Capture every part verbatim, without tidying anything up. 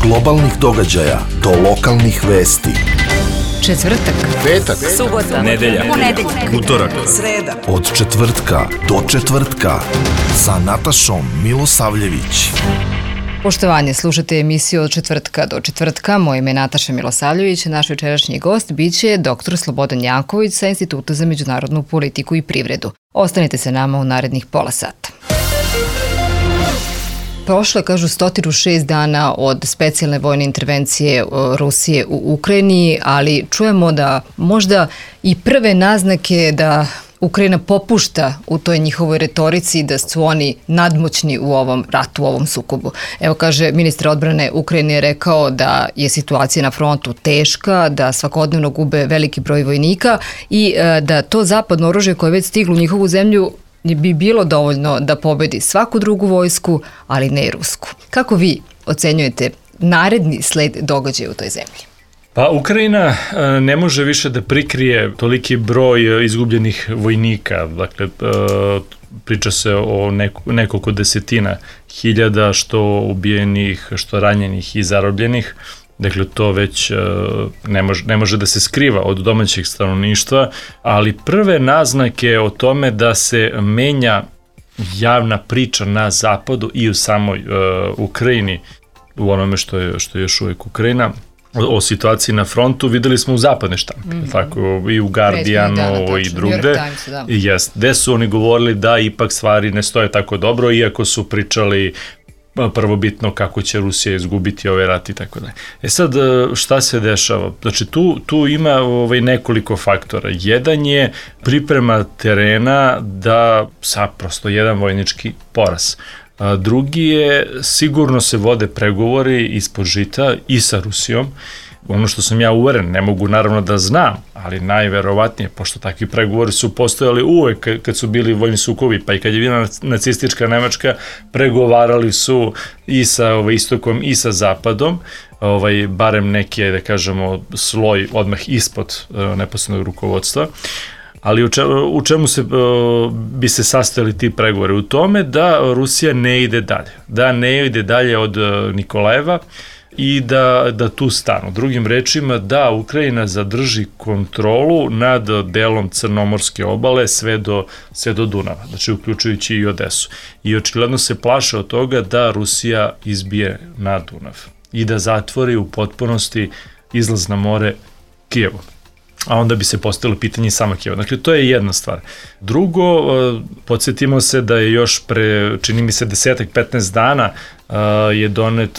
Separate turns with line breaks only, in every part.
globalnih događaja do lokalnih vesti.
Četvrtak,
petak,
subota,
nedelja,
ponedeljak,
utorak,
sreda.
Od četvrtka do četvrtka sa Natašom Milosavljević.
Poštovanje, slušate emisiju od četvrtka do četvrtka. Moje ime je Nataša Milosavljević. Naš večerašnji gost biće doktor Slobodan Janković sa Instituta za međunarodnu politiku i privredu. Ostanite se nama u narednih pola sata. Prošlo je, kažu, sto šest dana od specijalne vojne intervencije Rusije u Ukrajini, ali čujemo da možda i prve naznake da Ukrajina popušta u toj njihovoj retorici, da su oni nadmoćni u ovom ratu, u ovom sukobu. Evo, kaže, ministar odbrane Ukrajine je rekao da je situacija na frontu teška, da svakodnevno gube veliki broj vojnika i da to zapadno oružje koje je već stiglo u njihovu zemlju bi bilo dovoljno da pobedi svaku drugu vojsku, ali ne i rusku. Kako vi ocenjujete naredni sled događaja u toj zemlji?
Pa Ukrajina ne može više da prikrije toliki broj izgubljenih vojnika. Dakle, priča se o nekoliko desetina hiljada što ubijenih, što ranjenih i zarobljenih. Dakle, to već ne može, ne može da se skriva od domaćeg stanovništva, ali prve naznake o tome da se menja javna priča na zapadu i u samoj uh, Ukrajini, u onome što je, što je još uvijek Ukrajina, o, o situaciji na frontu videli smo u zapadne štampe, mm-hmm. tako i u Guardianu dana, i drugde. Da. Jest, gde su oni govorili da ipak stvari ne stoje tako dobro, iako su pričali prvobitno kako će Rusija izgubiti ovaj rat i tako dalje. E sad, šta se dešava? Znači, tu, tu ima ovaj, nekoliko faktora. Jedan je priprema terena da sa prosto jedan vojnički poraz. A drugi je, sigurno se vode pregovori ispod žita i sa Rusijom. Ono što sam ja uveren, ne mogu naravno da znam, ali najverovatnije, pošto takvi pregovori su postojali uvek kad su bili vojni sukobi, pa i kad je bila nacistička Nemačka, pregovarali su i sa ovaj, istokom i sa zapadom, ovaj, barem neki, da kažemo, sloj odmah ispod uh, neposrednog rukovodstva. Ali u čemu, u čemu se, uh, bi se sastojali ti pregovori? U tome da Rusija ne ide dalje, da ne ide dalje od uh, Nikolajeva, i da, da tu stanu. Drugim rečima, da Ukrajina zadrži kontrolu nad delom Crnomorske obale sve do, sve do Dunava, znači uključujući i Odesu. I očigledno se plaše od toga da Rusija izbije na Dunav i da zatvori u potpunosti izlaz na more Kijevu. A onda bi se postavilo pitanje sama Kijeva. Dakle, to je jedna stvar. Drugo, podsjetimo se da je još pre, čini mi se, desetak, petnaest dana je donet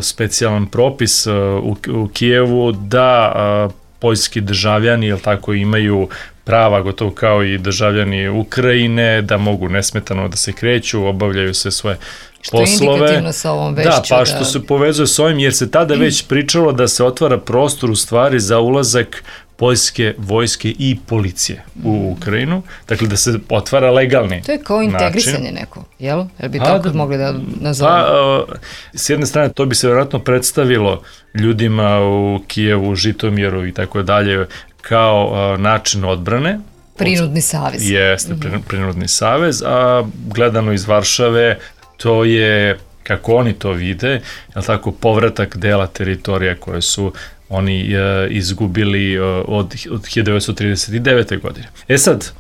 specijalan propis u, u Kijevu da poljski državljani, jel tako, imaju prava gotovo kao i državljani Ukrajine, da mogu nesmetano da se kreću, obavljaju se svoje što poslove. Što je indikativno sa ovom vešću. Da, pa da... što se povezuje s ovim, jer se tada već pričalo da se otvara prostor u stvari za ulazak poljske vojske i policije u Ukrajinu, dakle da se otvara legalni.
To je kao integrisanje način. Neko, jel? Jel bi tako da, mogli da nazovemo?
Pa, s jedne strane, to bi se vjerojatno predstavilo ljudima u Kijevu, Žitomjeru i tako dalje, kao način odbrane.
Prinudni savez.
Jeste, mm-hmm. prinudni savez, a gledano iz Varšave, to je, kako oni to vide, je tako, povratak dela teritorija koje su oni e, izgubili od, od hiljadu devetsto trideset devete. godine. E sad,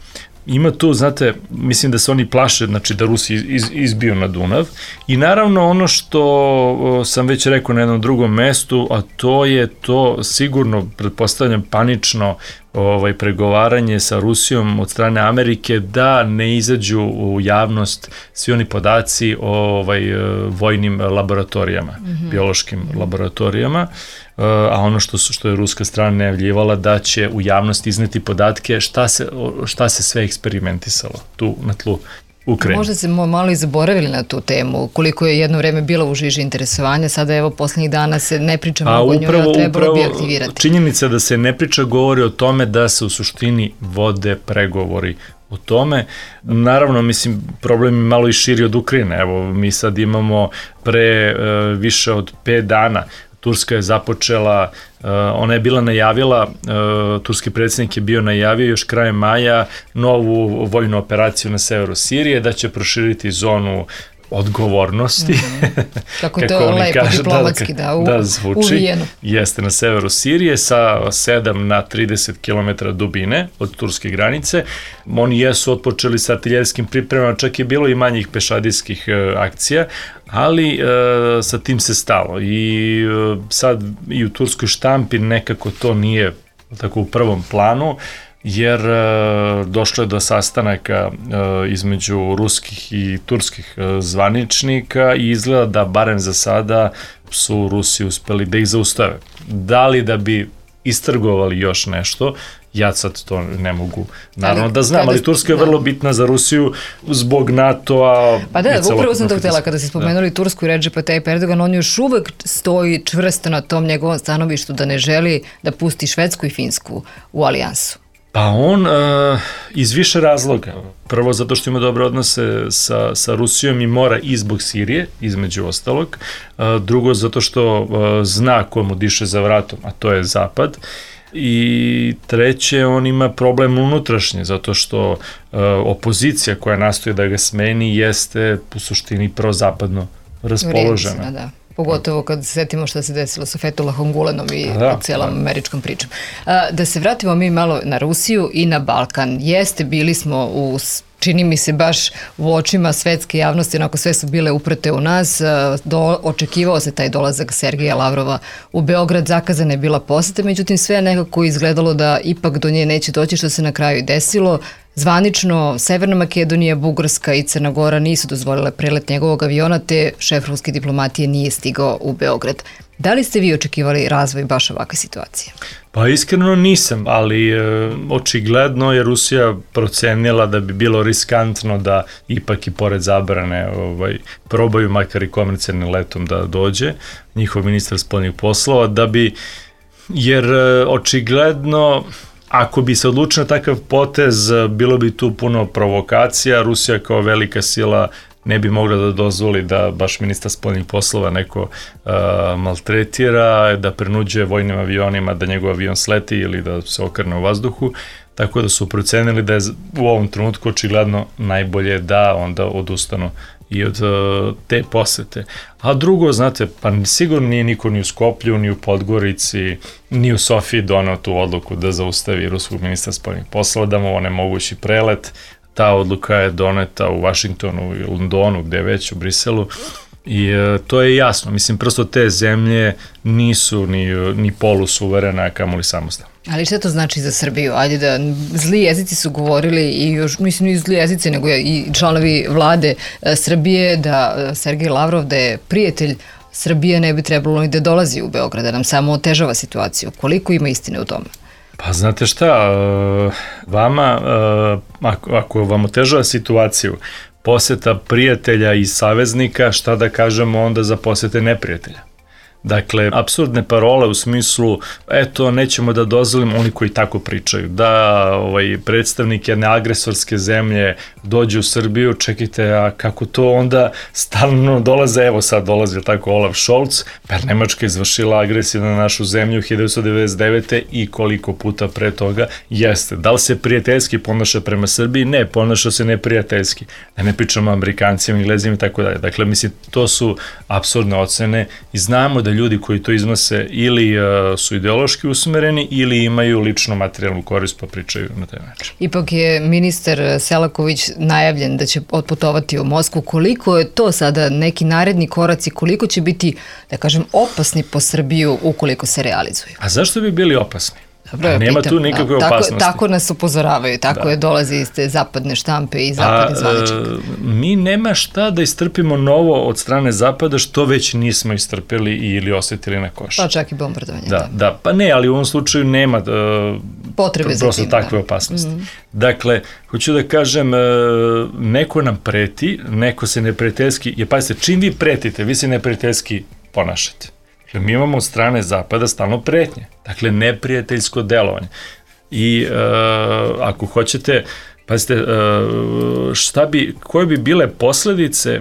ima tu, znate, mislim da se oni plaše, znači da Rusi iz, izbiju na Dunav i naravno ono što o, sam već rekao na jednom drugom mestu, a to je to sigurno, pretpostavljam, panično ovaj, pregovaranje sa Rusijom od strane Amerike da ne izađu u javnost svi oni podaci o ovaj, vojnim laboratorijama, mm-hmm. biološkim mm-hmm. laboratorijama, a ono što, su, što je ruska strana najavljivala da će u javnost izneti podatke šta se, šta se sve eksperimentisalo tu na tlu Ukrajine.
Možda se malo i zaboravili na tu temu, koliko je jedno vreme bilo u žiži interesovanja, sada evo poslednjih dana se ne priča mnogo o njoj, a trebalo bi aktivirati.
Činjenica da se ne priča govori o tome da se u suštini vode pregovori o tome. Naravno, mislim, problem je malo i širi od Ukrajine. Evo, mi sad imamo pre uh, više od pet dana Turska je započela, uh, ona je bila najavila, uh, turski predsjednik je bio najavio još krajem maja novu vojnu operaciju na severu Sirije, da će proširiti zonu odgovornosti.
Mm-hmm. Kako je to
kako
lepo,
kažu,
diplomatski, da, u,
da zvuči,
uvijeno.
Jeste na severu Sirije sa sedam na trideset kilometara dubine od turske granice. Oni jesu otpočeli sa artiljerskim pripremama, čak je bilo i manjih pešadijskih e, akcija, ali e, sa tim se stalo. I e, sad i u turskoj štampi nekako to nije tako u prvom planu, jer e, došlo je do sastanaka e, između ruskih i turskih e, zvaničnika i izgleda da barem za sada su Rusi uspeli da ih zaustave. Da li da bi istrgovali još nešto, ja sad to ne mogu naravno ali, da znam, ali Turska je vrlo da. bitna za Rusiju zbog NATO-a.
Pa da, upravo sam to htjela kada ste spomenuli da. Tursku i Redžepa Tayyip Erdogan, on još uvek stoji čvrsto na tom njegovom stanovištu da ne želi da pusti Švedsku i Finsku u alijansu.
Pa on uh, iz više razloga. Prvo zato što ima dobre odnose sa, sa Rusijom i mora i zbog Sirije, između ostalog. Uh, drugo zato što uh, zna ko mu diše za vratom, a to je Zapad. I treće, on ima problem unutrašnje, zato što uh, opozicija koja nastoji da ga smeni jeste u suštini prozapadno raspoložena.
Da. Pogotovo kad se setimo što se desilo sa Fethullahom Gulenom i da, cijelom da. američkom pričom. Da se vratimo mi malo na Rusiju i na Balkan. Jeste, bili smo u, čini mi se baš u očima svetske javnosti, onako sve su bile uprte u nas. Do, očekivao se taj dolazak Sergeja Lavrova u Beograd, zakazana je bila poseta, međutim sve je nekako izgledalo da ipak do nje neće doći, što se na kraju i desilo. Zvanično, Severna Makedonija, Bugarska i Crna Gora nisu dozvolile prelet njegovog aviona, te šef ruske diplomatije nije stigao u Beograd. Da li ste vi očekivali razvoj baš ovakve situacije?
Pa iskreno nisam, ali e, očigledno je Rusija procenila da bi bilo riskantno da ipak i pored zabrane ovaj, probaju makar i komercijalnim letom da dođe njihov ministar spoljnih poslova, da bi, jer e, očigledno ako bi se odlučio na takav potez, bilo bi tu puno provokacija, Rusija kao velika sila ne bi mogla da dozvoli da baš ministar spoljnih poslova neko uh, maltretira, da prenuđuje vojnim avionima da njegov avion sleti ili da se okrne u vazduhu, tako da su procenili da je u ovom trenutku očigledno najbolje da onda odustanu i od uh, te posete. A drugo, znate, pa sigurno nije niko ni u Skoplju, ni u Podgorici, ni u Sofiji donao tu odluku da zaustavi ruskog ministra spoljnih poslova, da mu onemogući prelet. Ta odluka je doneta u Vašingtonu i Londonu, gde je već u Briselu. I e, to je jasno. Mislim, prosto te zemlje nisu ni, ni polusuverene, a kamoli samostalne.
Ali šta to znači za Srbiju? Ajde da, zli jezici su govorili i još, mislim, i zli jezici, nego i članovi vlade e, Srbije, da Sergej Lavrov, da je prijatelj Srbije, ne bi trebalo ni da dolazi u Beograd, da nam samo otežava situaciju. Koliko ima istine u tome?
Pa znate šta, vama, ako, ako vam otežava situaciju, poseta prijatelja i saveznika, šta da kažemo onda za posete neprijatelja? Dakle, apsurdne parole u smislu, eto, nećemo da dozvolimo, oni koji tako pričaju, da ovaj, predstavnik jedne agresorske zemlje dođe u Srbiju, čekajte, a kako to onda stalno dolaze, evo sad dolazi tako Olaf Scholz, pa Nemačka izvršila agresiju na našu zemlju hiljadu devetsto devedeset devete i koliko puta pre toga jeste. Da li se prijateljski ponaša prema Srbiji? Ne, ponaša se neprijateljski. Da ne pričamo o Amerikancima, Englezima i tako dalje. Dakle, mislim, to su apsurdne ocene i znamo da ljudi koji to iznose ili uh, su ideološki usmereni ili imaju lično materijalnu korist pa pričaju na taj način.
Ipak je ministar Selaković najavljen da će otputovati u Moskvu. Koliko je to sada neki naredni koraci, koliko će biti, da kažem, opasni po Srbiju ukoliko se realizuju?
A zašto bi bili opasni?
Dobro,
a nema
pitam,
tu nikakve
tako,
opasnosti.
Tako nas upozoravaju, tako da. je dolazi iz te zapadne štampe i zapadne zvaničnika.
Mi nema šta da istrpimo novo od strane Zapada što već nismo istrpeli ili osetili na koši.
Pa čak i bombardovanje.
Da, da, da, pa ne, ali u ovom slučaju nema uh,
potrebe za tim.
Takve
da.
opasnosti.
Mm-hmm.
Dakle, hoću da kažem, uh, neko nam preti, neko se neprijateljski, je pazite, čim vi pretite, vi se neprijateljski ponašate. Dakle, mi imamo od strane Zapada stalno pretnje. Dakle, neprijateljsko delovanje. I uh, ako hoćete, pazite, uh, šta bi, koje bi bile posledice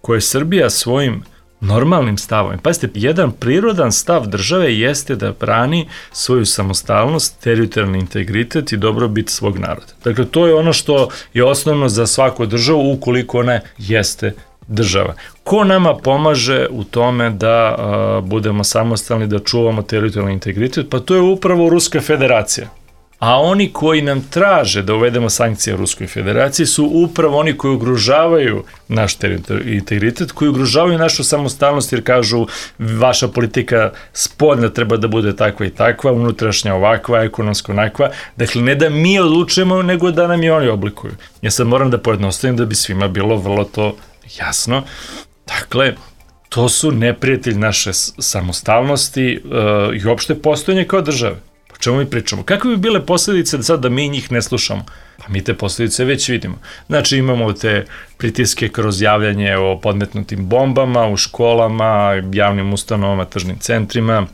koje Srbija svojim normalnim stavom. Pazite, jedan prirodan stav države jeste da brani svoju samostalnost, teritorijalni integritet i dobrobit svog naroda. Dakle, to je ono što je osnovno za svaku državu ukoliko ona jeste država. Ko nama pomaže u tome da a, budemo samostalni, da čuvamo teritorijalni integritet? Pa to je upravo Ruska federacija. A oni koji nam traže da uvedemo sankcije Ruskoj federaciji su upravo oni koji ugrožavaju naš teritorijalni integritet, koji ugrožavaju našu samostalnost jer kažu vaša politika spoljna treba da bude takva i takva, unutrašnja ovakva, ekonomska onakva. Dakle, ne da mi odlučujemo, nego da nam i oni oblikuju. Ja sad moram da pojednostavim da bi svima bilo vrlo to jasno. Dakle, to su neprijatelji naše samostalnosti uh, i uopšte postojanje kao države. O čemu mi pričamo? Kakve bi bile posljedice da sad da mi njih ne slušamo? Pa mi te posljedice već vidimo. Znači imamo te pritiske kroz javljanje o podmetnutim bombama u školama, javnim ustanovama, tržnim centrima.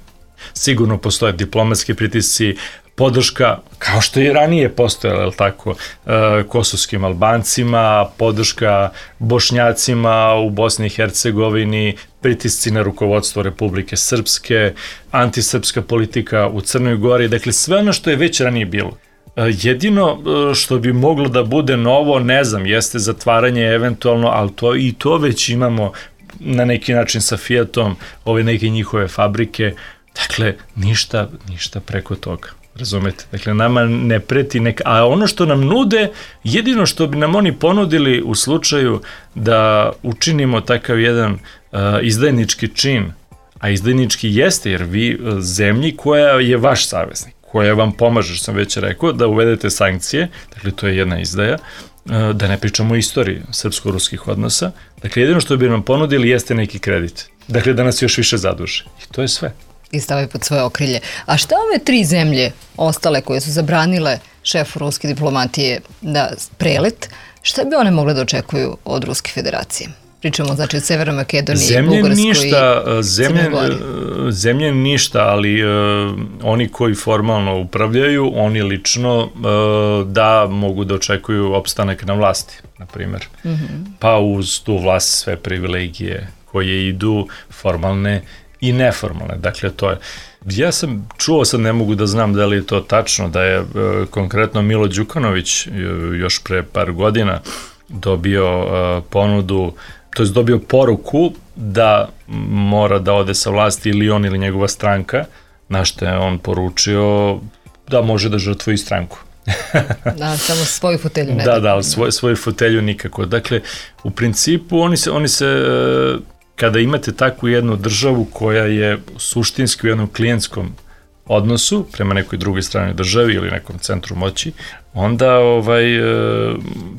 Sigurno postoje diplomatski pritisci, podrška, kao što je ranije postojala, je li tako, e, kosovskim Albancima, podrška Bošnjacima u Bosni i Hercegovini, pritisci na rukovodstvo Republike Srpske, antisrpska politika u Crnoj Gori, dakle sve ono što je već ranije bilo. E, jedino što bi moglo da bude novo, ne znam, jeste zatvaranje eventualno, ali to, i to već imamo na neki način sa Fiatom, ove neke njihove fabrike, dakle ništa, ništa preko toga. Razumete? Dakle, nama ne preti neka... A ono što nam nude, jedino što bi nam oni ponudili u slučaju da učinimo takav jedan uh, izdajnički čin, a izdajnički jeste, jer vi uh, zemlji koja je vaš saveznik, koja vam pomaže, što sam već rekao, da uvedete sankcije, dakle, to je jedna izdaja, uh, da ne pričamo o istoriji srpsko-ruskih odnosa, dakle, jedino što bi nam ponudili jeste neki kredit. Dakle, da nas još više zaduže. I to je sve.
I stavaju pod svoje okrilje. A šta ove tri zemlje ostale koje su zabranile šefu ruske diplomatije da prelet, šta bi one mogle da očekuju od Ruske federacije? Pričamo znači od Severnoj Makedoniji,
zemlje
Bugarskoj
ništa,
i
zemlje,
Crnoj Gori.
Zemlje ništa, ali uh, oni koji formalno upravljaju, oni lično uh, da mogu da očekuju opstanak na vlasti, na primjer. Mm-hmm. Pa uz tu vlast sve privilegije koje idu formalne i neformalne, dakle to je. Ja sam čuo, sad ne mogu da znam da li je to tačno, da je e, konkretno Milo Đukanović još pre par godina dobio e, ponudu, to je dobio poruku da mora da ode sa vlasti ili on ili njegova stranka, na što je on poručio da može da žrtvuje stranku.
Da, samo svoju fotelju ne.
Da, da, ali svoj, svoju fotelju nikako. Dakle, u principu oni se, oni se e, kada imate takvu jednu državu koja je suštinski u jednom klijentskom odnosu prema nekoj drugoj stranoj državi ili nekom centru moći, onda ovaj,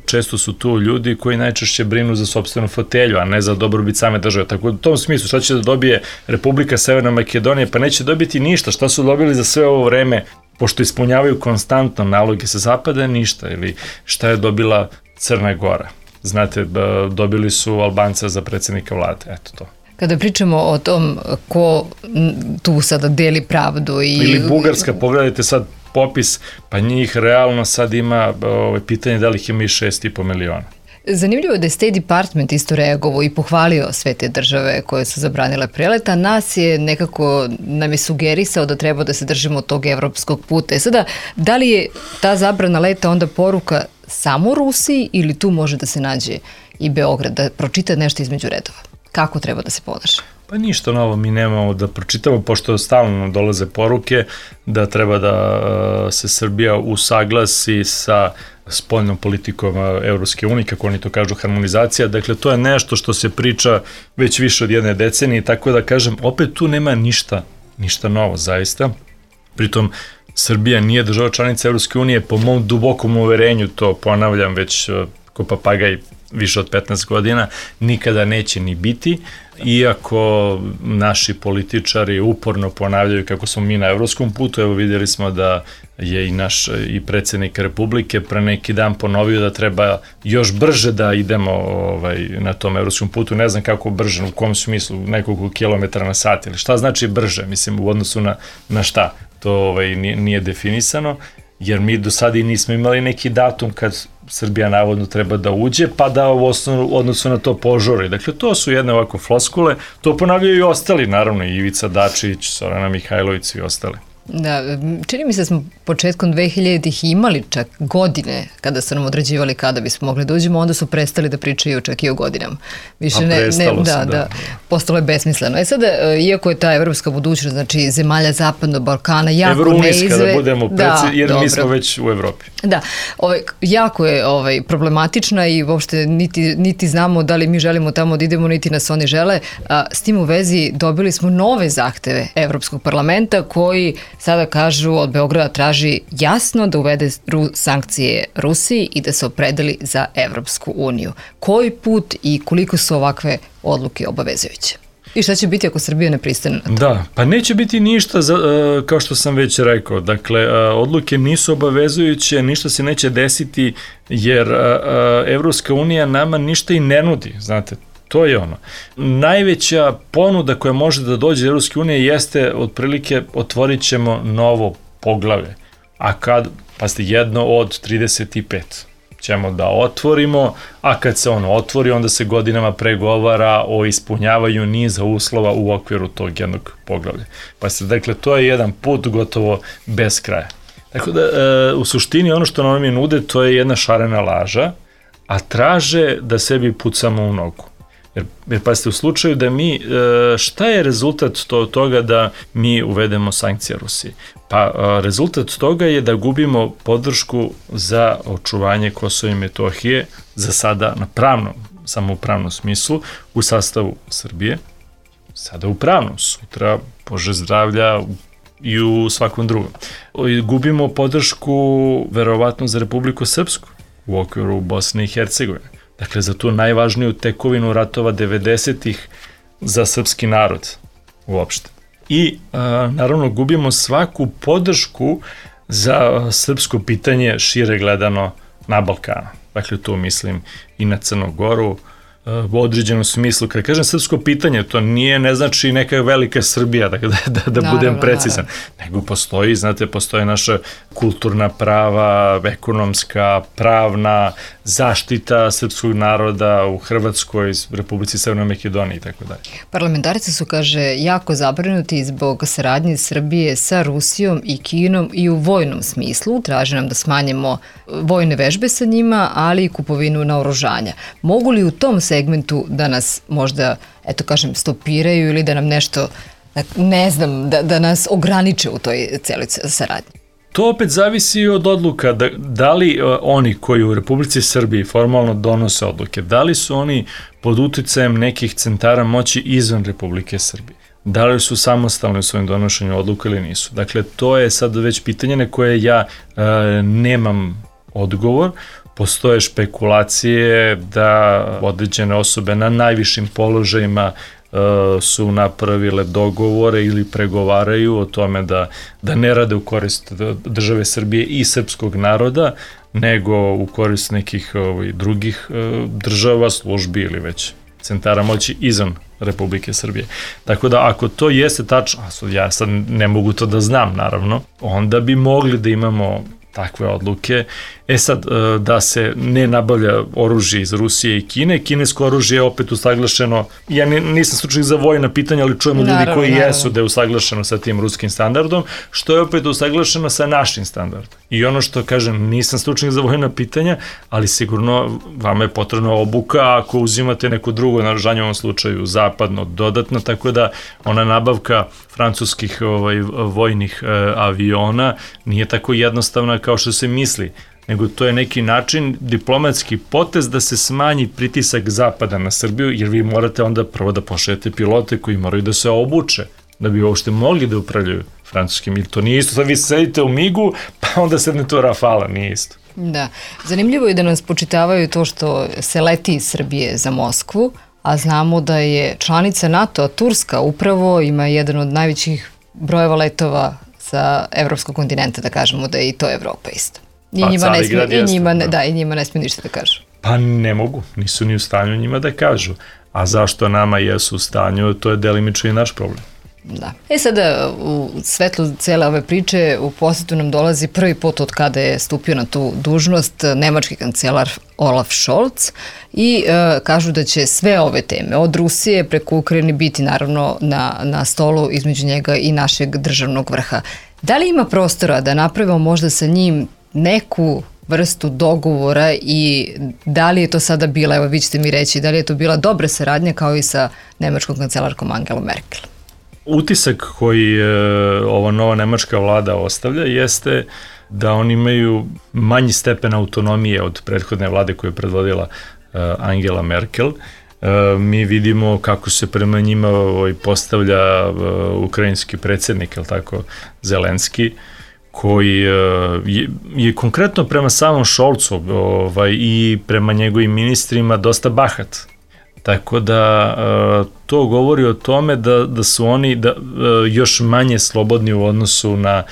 često su tu ljudi koji najčešće brinu za sopstvenu fotelju, a ne za dobrobit same države. Tako u tom smislu, šta će da dobije Republika Severna Makedonija? Pa neće dobiti ništa. Šta su dobili za sve ovo vreme, pošto ispunjavaju konstantno naloge sa zapada? Ništa. Ili šta je dobila Crna Gora? Znate, dobili su Albanca za predsjednika vlade, eto to.
Kada pričamo o tom ko tu sada deli pravdu i...
Ili Bugarska, pogledajte sad popis, pa njih realno sad ima ovo, pitanje da li ih ima i šest i po miliona.
Zanimljivo je da je State Department isto reagovao i pohvalio sve te države koje su zabranile prelet, a nas je nekako, nam je sugerisao da treba da se držimo tog evropskog puta. E sada, da li je ta zabrana leta onda poruka samo Rusiji ili tu može da se nađe i Beograd, da pročita nešto između redova? Kako treba da se ponaša?
Pa ništa novo mi nemamo da pročitamo, pošto stalno dolaze poruke da treba da se Srbija usaglasi sa spoljnom politikom Evropske unije, kako oni to kažu, harmonizacija. Dakle, to je nešto što se priča već više od jedne decenije, tako da kažem, opet tu nema ništa, ništa novo, zaista. Pritom, Srbija nije država članica Evropske unije, po mom dubokom uverenju, to ponavljam već ko papagaj više od petnaest godina, nikada neće ni biti, iako naši političari uporno ponavljaju kako smo mi na evropskom putu. Evo vidjeli smo da je i naš i predsjednik Republike pre neki dan ponovio da treba još brže da idemo ovaj, na tom evropskom putu. Ne znam kako brže, u kom smislu, nekoliko kilometara na sat ili šta znači brže, mislim u odnosu na, na šta, to ovaj, nije, nije definisano, jer mi do sada i nismo imali neki datum kad Srbija navodno treba da uđe, pa da u osnovu odnosu na to požuri. Dakle, to su jedne ovako floskule, to ponavljaju i ostali, naravno, i Ivica Dačić, Zorana Mihajlović i ostali.
Da, čini mi se da smo početkom dve hiljaditih imali čak godine kada su nam određivali kada bismo mogli da uđemo, onda su prestali da pričaju čak i o godinama. Više ne, ne, da, da, da, postalo je besmisleno. E sada, iako je ta evropska budućnost, znači zemalja Zapadnog Balkana, jako neizve...
Evrounijska, da budemo preci, da, jer dobro. Mi smo već u Evropi.
Da, ovaj, jako je ovaj, problematična i uopšte niti, niti znamo da li mi želimo tamo da idemo, niti nas oni žele. A, s tim u vezi dobili smo nove zahteve Evropskog parlamenta koji sada kažu od Beograda traži jasno da uvede sankcije Rusiji i da se opredeli za Evropsku uniju. Koji put i koliko su ovakve odluke obavezujuće? I šta će biti ako Srbija ne pristane na to?
Da, pa neće biti ništa, za, kao što sam već rekao. Dakle, odluke nisu obavezujuće, ništa se neće desiti jer Evropska unija nama ništa i ne nudi, znate. To je ono. Najveća ponuda koja može da dođe iz Evropske unije jeste otprilike otvorit ćemo novo poglavlje. A kad, pa ste jedno od trideset pet ćemo da otvorimo, a kad se ono otvori, onda se godinama pregovara o ispunjavanju niza uslova u okviru tog jednog poglavlja. Pa ste, dakle, to je jedan put gotovo bez kraja. Tako da, e, u suštini ono što nam je nude, to je jedna šarena laža, a traže da sebi pucamo u nogu. Jer, jer pa ste u slučaju da mi, šta je rezultat to, toga da mi uvedemo sankcije Rusiji? Pa rezultat toga je da gubimo podršku za očuvanje Kosova i Metohije, za sada na pravnom, samo u pravnom smislu, u sastavu Srbije, sada u pravnom, sutra, Bože zdravlja, i u svakom drugom. Gubimo podršku verovatno za Republiku Srpsku u okviru Bosne i Hercegovine. Dakle, za tu najvažniju tekovinu ratova devedesetih za srpski narod uopšte. I, a, naravno, gubimo svaku podršku za srpsko pitanje šire gledano na Balkanu. Dakle, tu mislim i na Crnu Goru, u određenom smislu. Kada kažem srpsko pitanje, to nije, ne znači neka velika Srbija, da, da, da, da naravno, budem precizan. Naravno. Nego postoji, znate, postoje naša kulturna prava, ekonomska, pravna, zaštita srpskog naroda u Hrvatskoj, Republici Severnoj Makedoniji i tako dalje.
Parlamentarci su, kaže, jako zabrinuti zbog saradnje Srbije sa Rusijom i Kinom i u vojnom smislu. Traže nam da smanjimo vojne vežbe sa njima, ali i kupovinu naoružanja. Mogu li u tom segmentu da nas možda, eto kažem, stopiraju ili da nam nešto, ne znam, da, da nas ograniče u toj celoj saradnji?
To opet zavisi od odluka, da, da li oni koji u Republici Srbiji formalno donose odluke, da li su oni pod uticajem nekih centara moći izvan Republike Srbije, da li su samostalni u svojim donošenju odluka ili nisu. Dakle, to je sad već pitanje na koje ja e, nemam odgovor. Postoje špekulacije da određene osobe na najvišim položajima uh, su napravile dogovore ili pregovaraju o tome da, da ne rade u korist države Srbije i srpskog naroda, nego u korist nekih ovaj, drugih uh, država, službi ili već centara moći izvan Republike Srbije. Tako da ako to jeste tačno, ja sad ne mogu to da znam naravno, onda bi mogli da imamo takve odluke. E sad, da se ne nabavlja oružje iz Rusije i Kine, kinesko oružje je opet usaglašeno, ja nisam stručnik za vojna pitanja, ali čujemo ljudi naravno, koji naravno. jesu da je usaglašeno sa tim ruskim standardom, što je opet usaglašeno sa našim standardom. I ono što kažem, nisam stručnik za vojna pitanja, ali sigurno vama je potrebna obuka ako uzimate neko drugo naoružanje, u ovom slučaju zapadno, dodatno, tako da ona nabavka francuskih ovaj, vojnih eh, aviona nije tako jednostavna kao što se misli, nego to je neki način, diplomatski potez da se smanji pritisak Zapada na Srbiju, jer vi morate onda prvo da pošaljete pilote koji moraju da se obuče, da bi uopšte mogli da upravljaju francuskim. Ili to nije isto, da vi sedite u migu, pa onda sednete u Rafala, nije isto.
Da, zanimljivo je da nas počitavaju to što se leti iz Srbije za Moskvu, a znamo da je članica NATO, a Turska upravo ima jedan od najvećih brojeva letova sa evropskog kontinenta, da kažemo da je i to Evropa isto. I
pa,
njima ne smije, i njima,
da.
da, i njima ne smije ništa da kažu.
Pa ne mogu, nisu ni u stanju njima da kažu. A zašto nama jesu u stanju, to je delimično i naš problem.
Da. E sada, u svetlu cele ove priče, u posjetu nam dolazi prvi put od kada je stupio na tu dužnost nemački kancelar Olaf Scholz i e, kažu da će sve ove teme, od Rusije preko Ukrajine, biti naravno na, na stolu između njega i našeg državnog vrha. Da li ima prostora da napravimo možda sa njim neku vrstu dogovora i da li je to sada bila, evo vi ćete mi reći, da li je to bila dobra saradnja kao i sa nemačkom kancelarkom Angelom Merkel?
Utisak koji e, ova nova nemačka vlada ostavlja jeste da oni imaju manji stepen autonomije od prethodne vlade koju je predvodila e, Angela Merkel. E, mi vidimo kako se prema njima ovaj, postavlja e, ukrajinski predsjednik, je li tako, Zelenski, koji e, je, je konkretno prema samom Scholzu ovaj, i prema njegovim ministrima dosta bahat. Tako da to govori o tome da, da su oni da, još manje slobodni u odnosu na,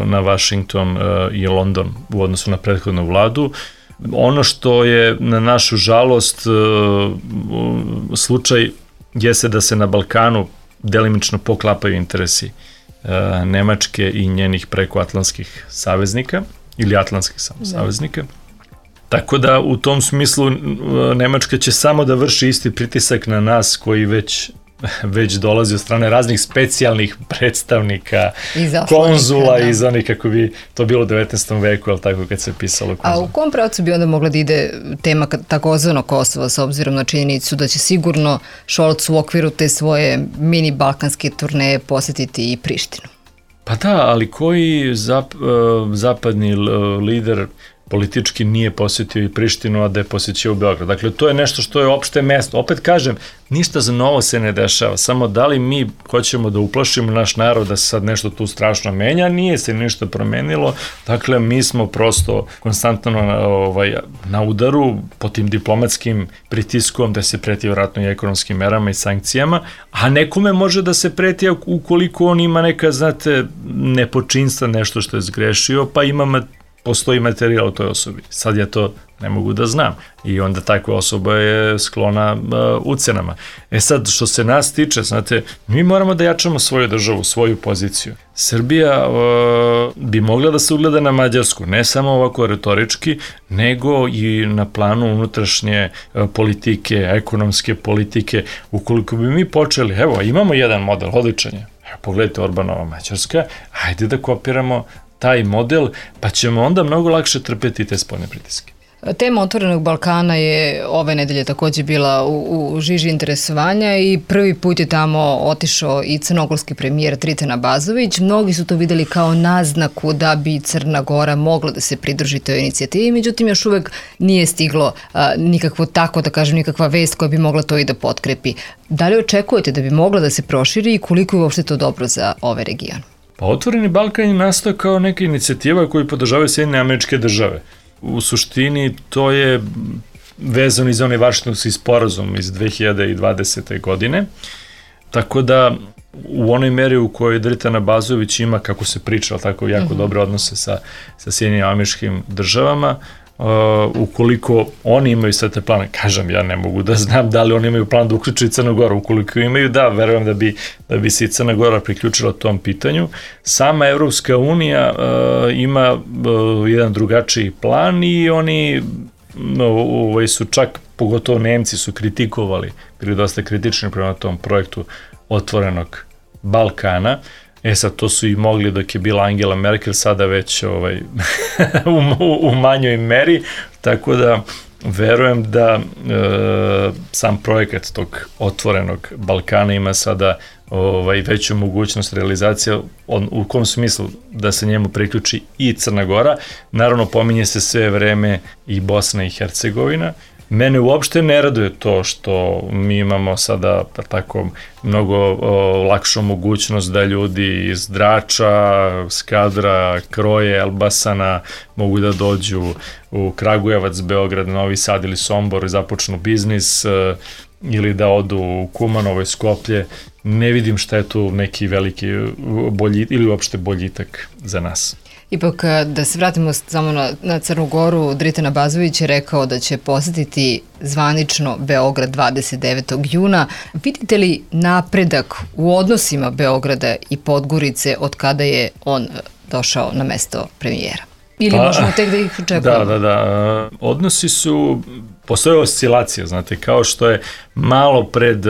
na Washington i London u odnosu na prethodnu vladu. Ono što je na našu žalost slučaj jeste da se na Balkanu delimično poklapaju interesi Nemačke i njenih prekoatlantskih saveznika ili atlantskih samo saveznika. Tako da u tom smislu Nemačka će samo da vrši isti pritisak na nas koji već, već dolazi od strane raznih specijalnih predstavnika, konzula i za onih kako bi to bilo u devetnaestom veku, ali tako kad se pisalo konzula.
A u kom pravcu bi onda mogla da ide tema takozvano Kosova s obzirom na činjenicu da će sigurno Scholz u okviru te svoje mini balkanske turneje posjetiti i Prištinu?
Pa da, ali koji zap, zapadni lider politički nije posjetio i Prištinu, a da je posjećio u Beograd. Dakle, to je nešto što je opšte mesto. Opet kažem, ništa za novo se ne dešava, samo da li mi hoćemo da uplašimo naš narod da se sad nešto tu strašno menja, nije se ništa promenilo, dakle, mi smo prosto konstantno na, ovaj, na udaru po tim diplomatskim pritiskom da se preti vjerojatno i ekonomskim merama i sankcijama, a nekome može da se preti ukoliko on ima neka, znate, nepočinstva, nešto što je zgrešio, pa imamo postoji materijal u toj osobi. Sad ja to ne mogu da znam i onda takva osoba je sklona uh, ucenama. E sad, što se nas tiče, znate, mi moramo da jačamo svoju državu, svoju poziciju. Srbija uh, bi mogla da se ugleda na Mađarsku, ne samo ovako retorički, nego i na planu unutrašnje uh, politike, ekonomske politike. Ukoliko bi mi počeli, evo, imamo jedan model, odličan je. Evo, pogledajte Orbanova Mađarska, hajde da kopiramo taj model, pa ćemo onda mnogo lakše trpeti te spoljne pritiske.
Tema Otvorenog Balkana je ove nedelje takođe bila u, u žiži interesovanja i prvi put je tamo otišao i crnogorski premijer Dritan Abazović. Mnogi su to videli kao naznaku da bi Crna Gora mogla da se pridruži toj inicijativi, međutim još uvek nije stiglo a, nikakvo tako, da kažem, nikakva vest koja bi mogla to i da potkrepi. Da li očekujete da bi mogla da se proširi i koliko je uopšte to dobro za ovaj region?
Pa Otvoreni Balkan je nastao kao neka inicijativa koju podržavaju Sjedinjene Američke Države. U suštini to je vezano iz onaj Vašingtonski sporazum iz dve hiljade dvadesete. godine, tako da u onoj meri u kojoj Dritan Abazović ima, kako se priča, tako jako mm-hmm. dobre odnose sa, sa Sjedinjenim Američkim Državama, Uh, ukoliko oni imaju sve te plane, kažem, ja ne mogu da znam da li oni imaju plan da uključuju Crnu Goru, ukoliko imaju, da, verujem da bi, da bi se i Crna Gora priključila tom pitanju. Sama Evropska unija uh, ima uh, jedan drugačiji plan i oni uh, su čak, pogotovo Nemci su kritikovali, bili dosta kritični prema tom projektu Otvorenog Balkana. E sad, to su i mogli dok je bila Angela Merkel, sada već ovaj, u, u, u manjoj meri, tako da verujem da e, sam projekat tog Otvorenog Balkana ima sada ovaj, veću mogućnost realizacije, on, u kom smislu da se njemu priključi i Crna Gora. Naravno, pominje se sve vreme i Bosna i Hercegovina. Mene uopšte ne raduje to što mi imamo sada tako mnogo o, lakšu mogućnost da ljudi iz Drača, Skadra, Kroje, Elbasana mogu da dođu u Kragujevac, Beograd, Novi Sad ili Sombor i započnu biznis e, ili da odu u Kumanovo, Skoplje. Ne vidim šta je tu neki veliki bolji, ili uopšte boljitak za nas.
Ipak, da se vratimo samo na, na Crnu Goru, Dritan Abazović je rekao da će posjetiti zvanično Beograd dvadeset devetog juna. Vidite li napredak u odnosima Beograda i Podgorice od kada je on došao na mesto premijera? Ili pa, možemo tek da ih očekujemo?
Da, da, da. Odnosi su postoje oscilacija, znate, kao što je malo pred,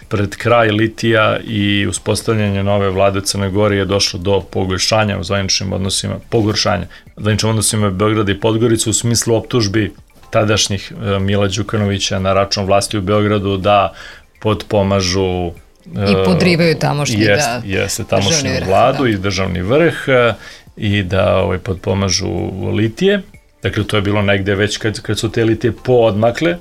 pred kraj litija i uspostavljanje nove vlade u Crnoj Gori je došlo do pogoršanja u zvaničnim odnosima, pogoršanja u zvaničnim odnosima Beograda i Podgorice u smislu optužbi tadašnjih Mila Đukanovića na račun vlasti u Beogradu da potpomažu
i podrivaju tamošnji
jest,
da,
jeste, tamošnju vladu da. I državni vrh i da ovaj, potpomažu litije. Dakle, to je bilo negde već kad, kad su te litije poodmakle.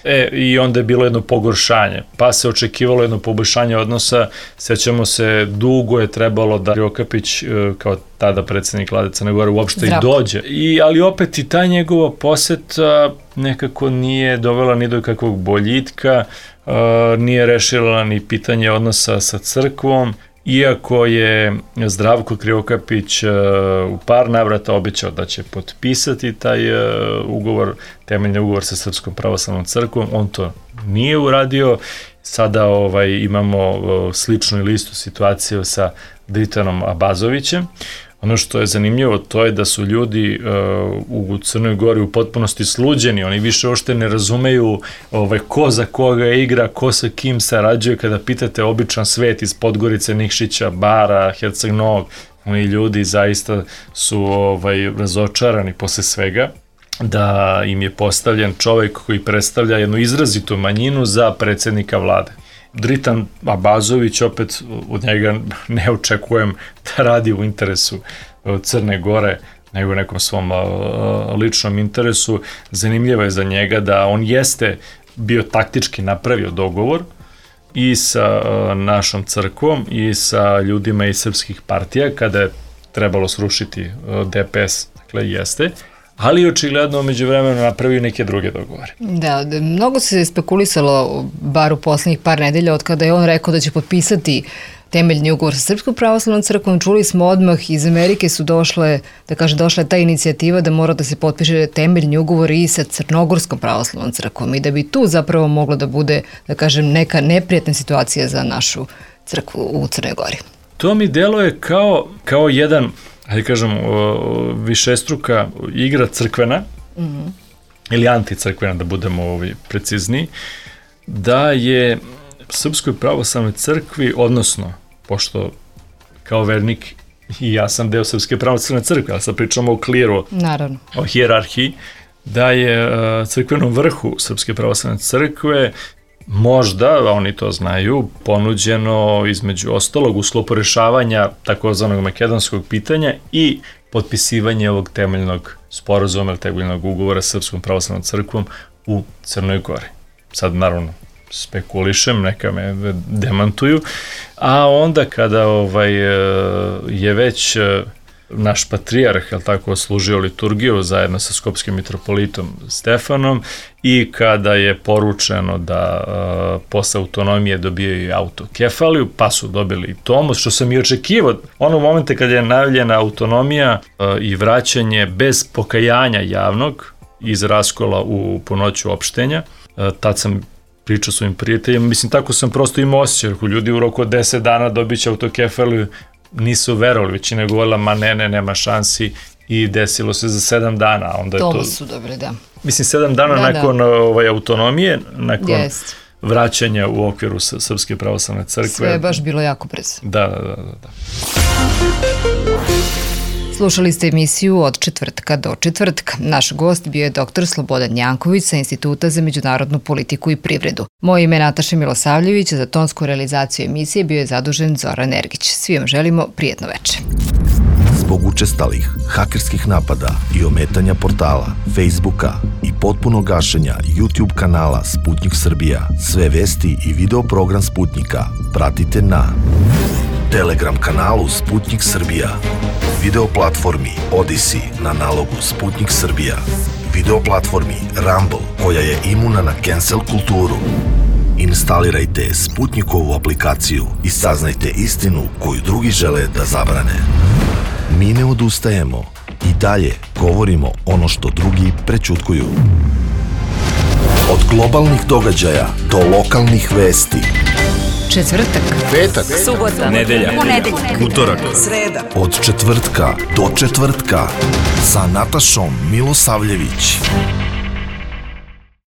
E, i onda je bilo jedno pogoršanje, pa se očekivalo jedno poboljšanje odnosa, sećamo se, dugo je trebalo da Krivokapić, kao tada predsednik vlade Crne Gore, uopšte Zdravko. I dođe. I, ali opet i ta njegova poseta nekako nije dovela ni do kakvog boljitka, uh, nije rešila ni pitanje odnosa sa crkvom, iako je Zdravko Krivokapić uh, u par navrata obećao da će potpisati taj uh, ugovor, temeljni ugovor sa Srpskom pravoslavnom crkvom, on to nije uradio. Sada ovaj, imamo uh, sličnu ili istu situaciju sa Dritanom Abazovićem. Ono što je zanimljivo, to je da su ljudi uh, u Crnoj Gori u potpunosti sluđeni, oni više ošte ne razumeju ovaj, ko za koga igra, ko sa kim sarađuje, kada pitate običan svet iz Podgorice, Nikšića, Bara, Herceg Novog, oni ljudi zaista su ovaj, razočarani posle svega, da im je postavljen čovek koji predstavlja jednu izrazitu manjinu za predsednika vlade. Dritan Abazović, opet od njega ne očekujem da radi u interesu Crne Gore, nego u nekom svom ličnom interesu. Zanimljivo je za njega da on jeste bio taktički napravio dogovor i sa našom crkvom i sa ljudima iz srpskih partija kada je trebalo srušiti D P S, dakle jeste, ali očigledno među vremenu napravio neke druge dogovore.
Da, mnogo se spekulisalo, bar u poslednjih par nedelja, od kada je on rekao da će potpisati temeljni ugovor sa Srpskom pravoslavnom crkvom. Čuli smo odmah, iz Amerike su došle, da kaže, došla je ta inicijativa da mora da se potpiše temeljni ugovor i sa Crnogorskom pravoslavnom crkvom i da bi tu zapravo moglo da bude, da kažem, neka neprijatna situacija za našu crkvu u Crnoj Gori.
To mi deluje kao, kao jedan, hajde kažem, višestruka igra crkvena, mm-hmm. ili anticrkvena, da budemo ovi precizniji, da je Srpskoj pravoslavnoj crkvi, odnosno, pošto kao vernik i ja sam deo Srpske pravoslavne crkve, ali sad pričamo o kliru,
naravno,
o hijerarhiji, da je crkvenom vrhu Srpske pravoslavne crkve možda, a oni to znaju, ponuđeno između ostalog u sklopu rešavanja takozvanog makedonskog pitanja i potpisivanje ovog temeljnog sporazuma ili temeljnog ugovora sa Srpskom pravoslavnom crkvom u Crnoj Gori. Sad naravno spekulišem, neka me demantuju, a onda kada ovaj, je već naš patrijarh, je li tako, služio liturgiju zajedno sa skopskim mitropolitom Stefanom i kada je poručeno da uh, posle autonomije dobijaju i autokefaliju, pa su dobili i tomos, što sam i očekivao. Onog momenta kada je najavljena autonomija uh, i vraćanje bez pokajanja javnog iz raskola u ponoću opštenja, uh, tad sam pričao svojim prijateljima, mislim, tako sam prosto imao osjećaj, ako ljudi u roku od deset dana dobit će autokefaliju, nisu verovali, većina je govorila, ma ne, ne, nema šansi, i desilo se za sedam dana. Onda je to,
to su dobre, da.
Mislim, sedam dana da, nakon da. Ovaj, autonomije, nakon yes. vraćanja u okviru Srpske pravoslavne crkve.
Sve je baš bilo jako brzo.
Da, da, da, da.
Slušali ste emisiju Od četvrtka do četvrtka. Naš gost bio je doktor Slobodan Janković sa Instituta za međunarodnu politiku i privredu. Moje ime je Nataša Milosavljević, za tonsku realizaciju emisije bio je zadužen Zoran Ergić. Svi vam želimo prijetno veče.
Zbog učestalih hakerskih napada i ometanja portala, Facebooka i potpuno gašenja YouTube kanala Sputnik Srbija, sve vesti i video program Sputnika pratite na Telegram kanalu Sputnik Srbija, video platformi Odyssey na nalogu Sputnik Srbija, video platformi Rumble koja je imuna na cancel kulturu. Instalirajte Sputnikovu aplikaciju i saznajte istinu koju drugi žele da zabrane. Mi ne odustajemo i dalje govorimo ono što drugi prećutkuju. Od globalnih događaja do lokalnih vesti.
Četvrtak,
petak,
subota,
nedelja,
ponedeljak,
utorak,
sreda.
Od četvrtka do četvrtka sa Natašom Milosavljević.